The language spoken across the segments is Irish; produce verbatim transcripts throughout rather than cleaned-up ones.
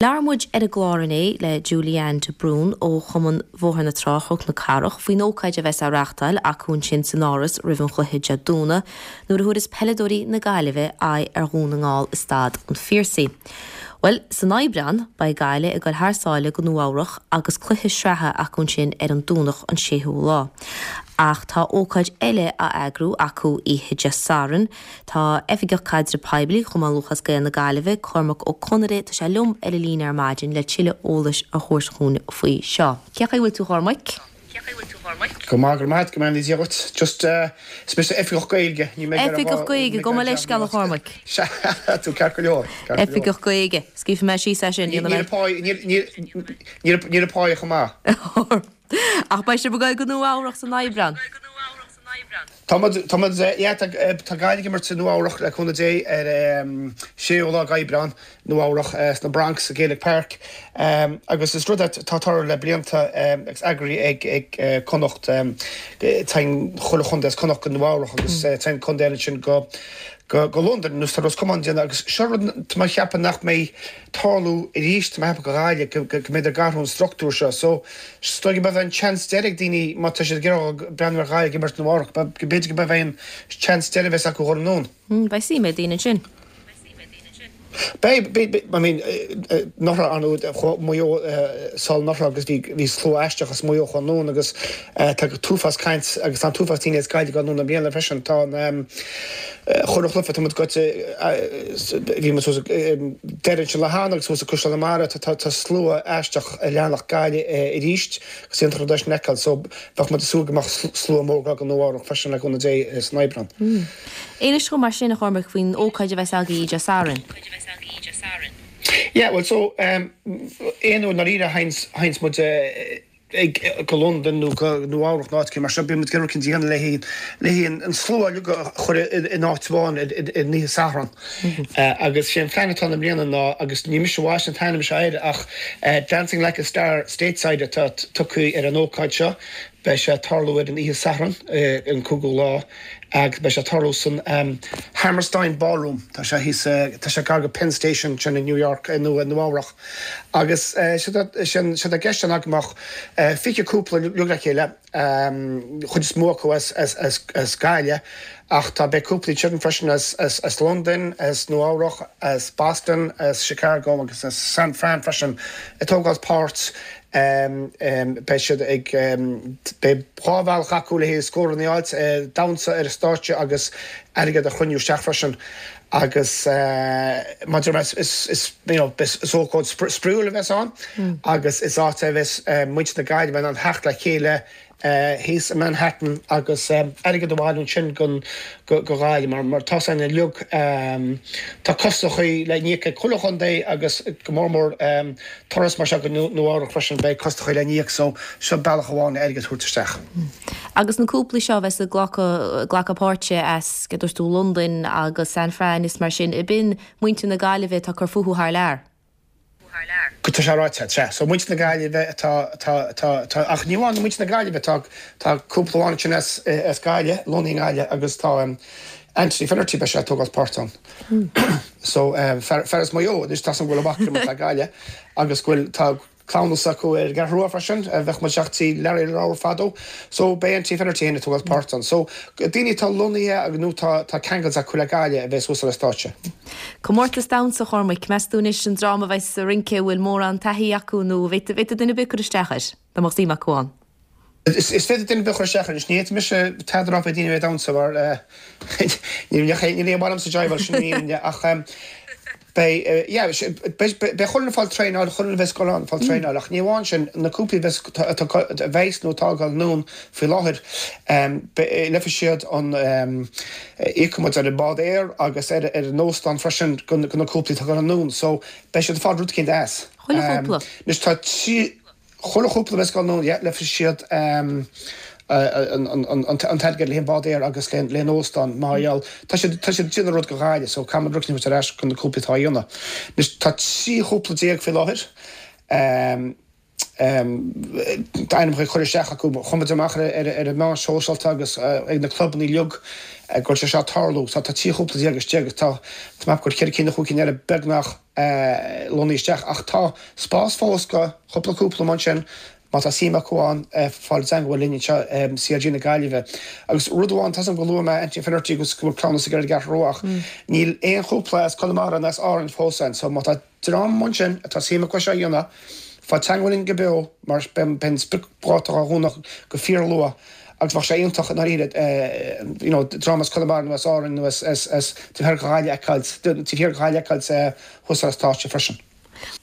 Labhair muid ar an gclár inné le Julianne de Brún ó Chumann Bhóthar na Trá Chnoc na Cathrach faoin ócáid a bheas á reáchtáil acu ansin san Áras roimh an chluiche Dé Domhnaigh nuair a thabharfas peileadóirí na Gaillimhe aghaidh ar Dhún na nGall i Staid an Phiarsaigh. Bhuel, san Aibreán beidh Gaillimh ag dul thar sáile go Nua Eabhrac agus cluiche sraithe acu ansin ar an Domhnach an séú lá. Ach tá ócáid eile á eagrú acu oíche Dé Sathairn. Tá Oifigeach Caidreamh Poiblí Chumann Lúthchleas Gael na Gaillimhe, Cormac Ó Conaire, tá sé liom ar an líne ar maidin le tuilleadh eolais a thabhairt chugainn faoi seo. Cén chaoi a bhfuil tú a Chormaic? Go maith go maith go mbeannaí Dia duit. Just uh, is mise Oifigeach Gaeilge. Ní mé Oifigeach Gaeilge, gabh mo leithscéal a Chormaic. Tú ceart go leor. Oifigeach Gaeilge. Scríobhfaidh mé síos é sin. Níl a pá chomh maith. Ach beidh sibh ag dul go Nua Eabhrac san Aibreán. Tá tá Gaillimh ag imirt i Nua Eabhrac le cúnamh Dé ar séú lá Aibreán Nua Eabhrac sna Bronx sa Gaelic Park agus is rud atá tarlaithe le blianta agus eagraithe ag ag Connacht téann chuile chontae as Connacht go Nua Eabhrac agus téann contae eile sin go go go Londain nó tá Ros Comáin déanamh agus seo rud tá mé ag ceapadh nach mbeidh tarlú arís tá mé ag ceapadh go Gaillimh go go mbeidh ag athrú an struchtúr seo so is dóigh go mbeidh an chance deiridh ag daoine má tá siad ag iarraidh breathnú ar Ghaillimh ag imirt Nua Eabhrac go b'fhéidir go mbeidh an chance deiridh bheas acu dhul anonn. Beidh suim ag daoine ansin. Beidh beidh I mean anuraidh ar ndóigh Maigh Eo sall anuraidh agus bhí bhí slua aisteach as Maigh Eo chun anonn agus tá an t-uafás caint agus tá an t-uafás daoine as Gaillimh ag dul anonn i mbliana freisin tá an chuile chluiche tá muid goite bhí muid suas deireadh ansin le hAnna agus suas ag Caisleán na Mara tá tá slua aisteach a leanfadh Gaillimh arís agus iontach rud é sin a fheiceáil so bheadh muid ag súil go mbeadh slua mór go Nua Eabhrac freisin le cúnamh Dé san Aibreán. Inis dom mar sin a Chormaic faoin ócáid a bheas agaibh Dé Sathairn. Yeah, well so um, aon uair ndáiríre a théanns muid ag go Londain nó go Nua Eabhrac nó áit mar seo bíonn muid ag iarraidh rud éicint a dhéanamh le le an slua uilig a chur in áit amháin in oíche Sathairn. Agus sé an plean atá i mbliana ná agus ní mise a bhaist an t-ainm seo air ach Dancing Like a Star Stateside atá tugtha ar an ócáid seo. Beidh sé ag tarlú ar an oíche Sathairn an cúigiú lá agus beidh sé ag tarlú san Hammerstein Ballroom. Tá sé thíos tá sé gar go Penn Station sin in New York nó Nua Eabhrac. Agus sé atá i gceist ná go mbeadh fiche cúpla uilig le chéile chuid is mó acu as as as as Gaillimh ach tá beidh cúplaí ansin freisin as as as Londain, as Nua Eabhrac, as Boston, as Chicago agus as San Fran freisin ag tógáil páirt beidh siad ag beidh dhá bhealach acu le haghaidh scóranna a fháilt, damhsa ar an stáitse agus airgead a chruinniú isteach freisin agus maidir is is is you know is ócáid spraíúil a bheas ann agus is áit a bheas muintir na Gaillimhe in ann theacht le chéile thíos i Manhattan agus airgead a bhailiú ansin go go Gaillimh mar mar tá san uilig tá costachaí le n-íoc ag chuile chontae agus go mór mór turas mar seo go Nua Eabhrac freisin beidh costachaí le n-íoc so seo bealach amháin airgead a thabhairt isteach. Agus na cúplaí seo bheas ag glacadh glacadh páirte as go dúirt tú Londain agus San Fran is mar sin ab in muintir na Gaillimhe atá ag cur fúthu thar lear. Go tá sé ráite sea. So muintir na Gaillimhe atá atá atá atá ach ní amháin muintir na Gaillimhe tá tá cúpla amháin sin as as Gaillimh, lonnaithe i nGaillimh agus tá um, Anthony Finnerty beidh sé ag tógáil páirt ann. So um, fear fear as Maigh Eo anois tá san go bhfuil amach go le Gaillimh agus go bhfuil tá cleamhnas acu ar an gCeathrú Rua freisin a bheadh muid teacht Larry Lawler fadó. So beidh Anthony Finnerty ag tógáil páirt ann. So daoine atá lonnaithe agus nó tá tá ceangailte acu le Gaillimh a bheidh suas ar an stáitse. Comórtas damhsa Chormaic, meas tú anois an dream a bheas sa rince bhfuil mórán taithí acu nó bhféadfadh duine ar bith cur isteach air, dá mbeadh suim acu ann. Is is féidir duine ar bith cur isteach anois ní mise tada rá fé daoine bheith damhsa mar ní ní ní bhailim sa jive sin ní ach Beidh yeah beidh chuile dhuine ag fáil traenáil chuile dhuine a bheas ag dul ann ag fáil traenáil ach ní amháin sin na cúplaí a bheas a bheas nó atá ag dul anonn faoi láthair leigfidh siad an íocfaidh muid ar an bád aeir agus ar ar an óstán freisin go na cúplaí atá ag dul anonn so beidh siad ag fáil rud éicint as. Chuile chúpla. Anois tá trí Chuile chúpla a bheas ag dul anonn, yeah, leigfidh siad an t-airgead le an bád aeir agus le an óstán mar gheall tá siad tá siad ag déanamh rud go Gaillimh so caithfidh muid rud éicint a thabhairt ar ais go na cúplaí atá á dhéanamh. Anois tá trí chúpla déag faoi láthair Ainmneacha a chur isteach acu, chuir muid amach ar ar an meán sóisialta agus ag na clubanna uilig go bhfuil sé seo ag tarlú. So tá trí chúpla déag istigh agus tá tá mé ag cur ceithre cinn nó chúig cinn eile beagnach lonnaithe isteach ach tá spás fós go chúpla cúpla mar sin má tá suim acu ann fáil i dteangmháil linn anseo C L G na Gaillimhe. Agus rud amháin, tá 'fhios a'm gur luaigh mé Anthony Finnerty agus go bhfuil cleamhnas ag ar an gCeathrú Rua ach níl aon chúpla as Conamara ná as Árainn fós ann so má tá dream ansin atá suim acu seo a dhéanamh, fáil i dteangmháil linn go beo mar beidh an spriocdháta á dhúnadh go fíorluath agus bheadh sé iontach i ndáiríre you know dream as Conamara nó as Árainn nó as as as taobh thiar de Ghaillimh a fheiceáil taobh thiar de Ghaillimh a fheiceáil thuas ar an stáitse freisin.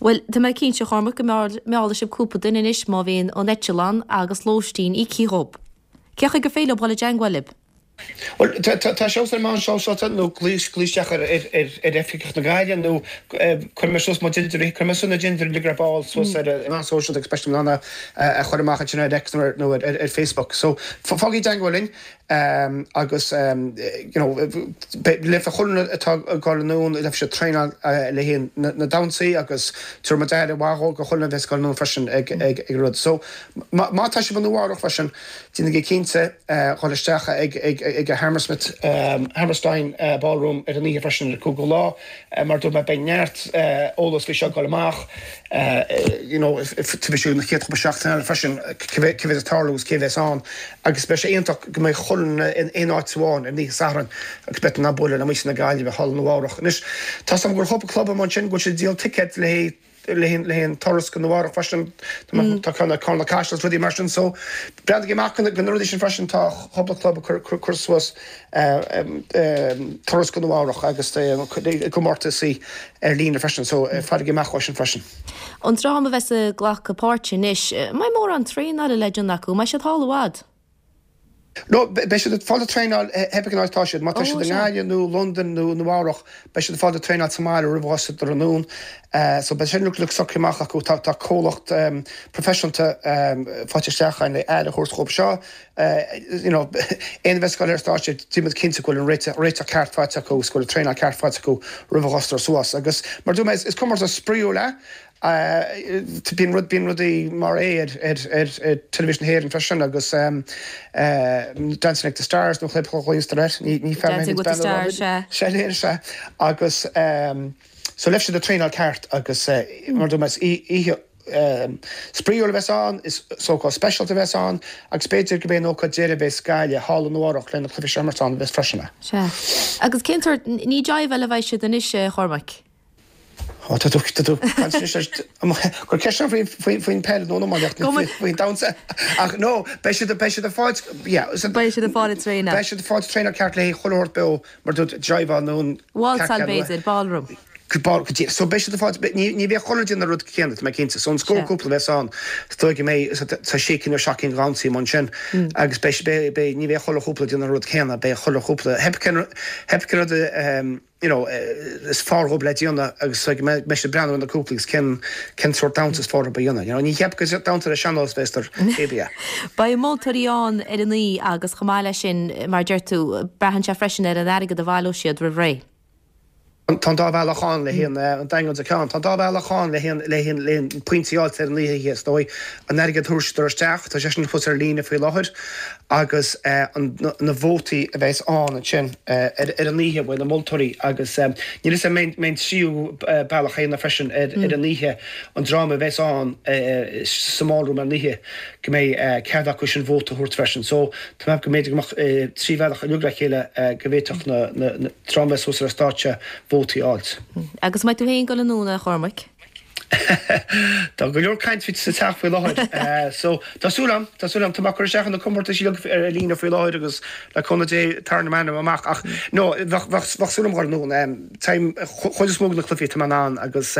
Bhuel, tá mé cinnte, a Chormaic, go meallfaidh sibh cúpla duine anois má bhíonn an eitleán agus lóistín íoctha dhób. Cé chaoi gur féidir leo dul i dteangmháil libh? Bhuel, tá sé ar meán sóisialta nó glaoigh isteach ar oifigeach na Gaillimhe nó cuirfidh mé suas mo cuirfidh mé suas na dintiúir uilig ar ball suas ar an meán sóisialta agus beidh mé in ann a chur amach ansin ar X nó ar Facebook. So fáigí i dteangmháil linn agus you know leifidh chuile atá ag dul anonn leifidh siad traenáil le haghaidh na damhsaí agus tabharfaidh muid aire mhaith dhó go chuile a bheas ag dul anonn freisin ag ag ag rud. So má tá sibh i Nua Eabhrac freisin déanaigí cinnte dhul isteach ag ag ag Hammersmith Hammerstein Ballroom ar an oíche freisin ar an cúigiú lá mar dúirt mé beidh neart eolas faoi seo ag dul amach you know tabharfaidh siad na chéad chúpla seachtain eile freisin cé mhéad ag tarlú agus cé bheas ann agus beidh sé iontach go mbeidh chuile dhuine in aon áit amháin ar an oíche Sathairn agus beidh na bualadh le muintir na Gaillimhe thall i Nua Eabhrac. Anois tá 'fhios a'm gur chúpla club ansin go bhfuil siad ag díol ticéad le le haghaidh turas go Nua Eabhrac freisin tá ceann Carna Caiseal rudaí mar sin so breathnaigí amach go na rudaí sin freisin tá cúpla club ag cur suas turas go Nua Eabhrac agus comórtasaí ar líne freisin so faighigí amach sin freisin. An dream a bheas ag glacadh páirte anois, mbeidh mórán traenála le déanamh acu, mbeidh siad thall i bhfad. No, beidh siad ag fáil traenáil pé cén áit atá siad, má tá siad i nGaillimh nó Londain nó Nua Eabhrac, beidh siad ag fáil traenáil sa mbaile roimh dhul siad anonn. So beidh sin uilig socraithe amach acu tá tá comhlacht proifisiúnta faighte isteach le aire a thabhairt dhóibh seo. You know, aon bheith scoil ar stáitse déanfaidh muid cinnte go bhfuil an réiteach réiteach ceart faighte acu agus go bhfuil traenáil ceart faighte acu roimh a dhul suas. Agus mar dúirt mé is comórtas spraíúil é bíonn rud bíonn rudaí mar é ar ar ar ar teilifís na hÉireann freisin agus Dancing with the Stars nó chlib chuíostar ní ní Dancing with the Stars sé sé agus so leis siad traenáil ceart agus mar dúirt mé oíche spraíúil a bheas ann is ócáid speisialta a bheas ann agus b'fhéidir go b'é an ócáid deiridh a bheas Gaillimh thall i Nua Eabhrac lena cluiche seamartán bheas freisin. Sea. Agus cén sórt ní jive eile bheidh siad anois Chormaic? Tá tú gur ceist faoin peil nó faoin damhsa ach no beidh siad beidh siad ag fáil Beidh siad ag fáil traenáil. Beidh siad ag fáil traenáil ceart le chuile shórt beo mar dúirt jive nó Waltzáil b'fhéidir, ballroom. So beidh siad ag fáil ní bheidh chuile duine an rud céanna tá mé cinnte, so an scór cúpla bheas ann dóigh go mbeidh tá sé cinn nó seacht gcinn damhsaí mar sin agus beidh beidh ní bheidh chuile chúpla déanamh an rud céanna beidh chuile chúpla pé cén rud you know, is fearr dhóibh le déanamh agus go mbeidh siad breathnú ar na cúpla agus cén cén sórt damhsa is fearr dhóibh a dhéanamh. You know, ní cheap go damhsa le sean-nós bheas cébia. Beidh moltóirí ann ar an oíche agus chomh maith leis sin mar deir tú braitheann sé freisin ar an airgead a bhaileoidh siad roimh ré. Tá dá bhealach ann le haon an daingean ceann, Tá dá bhealach ann le haon le haon le haon pointí a fháil ar an oíche is dóigh an airgead thuirsitar isteach, tá sé sin fós ar líne faoi láthair agus na vótaí a bheas ann ansin ar ar an oíche uaidh na moltóirí agus níl a fhios agam mbeidh an tríú bealach chéanna freisin ar ar an oíche an dream a bheas ann sa mballroom ar an oíche go mbeidh cead acu sin vóta a thabhairt freisin. So tá mé go mb'fhéidir go mbeadh trí bhealach uilig le chéile go bhféadfadh na na dream a bheas thuas ar an stáitse vótaí a fháilt. Agus mbeidh tú féin ag dul anonn a Chormaic. Tá go leor caint sa teach faoi láthair so tá súil agam tá súil agam tá mé ag cur isteach na comórtais ar líne faoi láthair agus le cúnamh Dé tarraing m'ainm amach ach no bheadh bheadh súil agam dul anonn táim chuid is mó de na cluichí tá mé in ann agus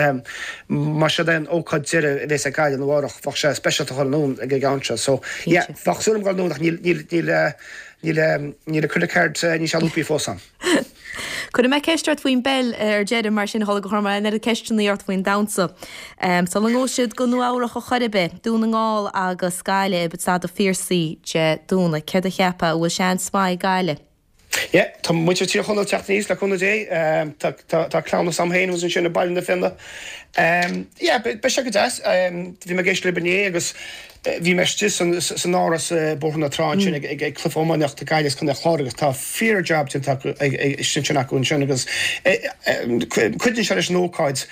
mar siod é an ócáid deiridh a bheas ag Gaillimh i Nua Eabhrac bheadh sé speisialta dul anonn ag an am seo so yeah bheadh súil agam dul anonn ach níl níl níl níl níl a credit card níl sé lúpaí fós ann. Cuirfidh mé ceist ort faoin bpeil ar deireadh mar sin thola go chur an oiread ceisteanna ort faoin damhsa. Um, Sula ngabhfaidh siad go Nua Eabhrac a chor ar bith, Dún na nGall agus Gaillimh i Staid an Phiarsaigh Dé Domhnaigh, céard a cheapfá an bhfuil seans maith ag Gaillimh. Yeah, tá muintir Tír Chonaill teacht aníos le cúnamh Dé, tá tá cleamhnas agam féin ansin i Baile na Finne. Yeah, beidh sé go deas. Bhí mé ag éisteacht libh inné agus bhí mé istigh san áras Bóthar na Trá ansin ag ag cluiche iománaíochta Gaillimh is Contae an Chláir agus tá fíor jab déanta acu ansin acu ansin agus cuidíonn sé leis an ócáid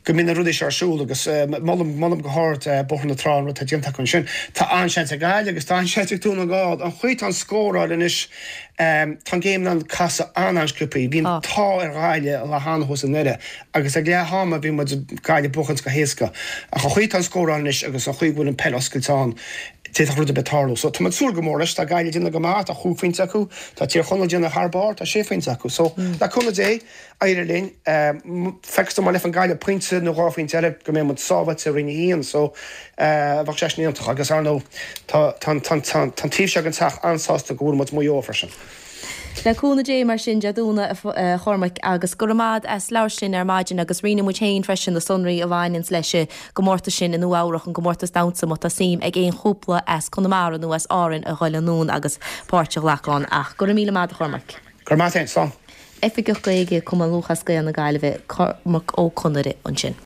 go mbíonn na rudaí seo ar siúl agus molaim molaim go hard Bóthar na Trá an rud atá déanta acu ansin. Tá an-seans ag Gaillimh agus tá an-seans ag Dún na nGall. An chaoi atá an scóráil anois tá an game in ann casadh an-an-sciobtha. Bhí an t-ádh ar Ghaillimh an lá cheana thuas i nDoire agus ag leath ama bhí muid Gaillimh buachaint go héasca. Ach an chaoi atá an scóráil anois agus an chaoi go bhfuil an peil oscailte ann, d'fhéadfadh rud ar bith tarlú. So tá muid ag súil go mór leis. Tá Gaillimh ag déanamh go maith, tá chúig phointe acu, tá Tír Chonaill ag déanamh thar barr, tá sé phointe acu. So le cúnamh Dé, éireoidh linn. Feictear dom má leifeann Gaillimh pointe nó dhá phointe eile go mbeidh muid sábháilte i Roinn a haon. So bheadh sé sin iontach agus ar ndóigh tá tá tá tá an taobh seo den teach an-sásta go bhfuair muid Maigh Eo freisin. Le cúnamh Dé mar sin Dé Domhnaigh a Chormaic agus go raibh maith as labhairt linn ar maidin agus roinnfidh muid féin freisin na sonraí a bhaineanns leis an gcomórtas sin i Nua Eabhrach, an gcomórtas damhsa má tá suim ag aon chúpla as Conamara nó as Árainn a ghoil anonn agus páirt a ghlacadh ann. Ach go raibh míle maith a Chormaic. Go raibh maith agat féin, slán. Oifigeach Gaeilge Cumann Lúthchleas Gael na Gaillimhe, Cormac Ó Conaire ansin.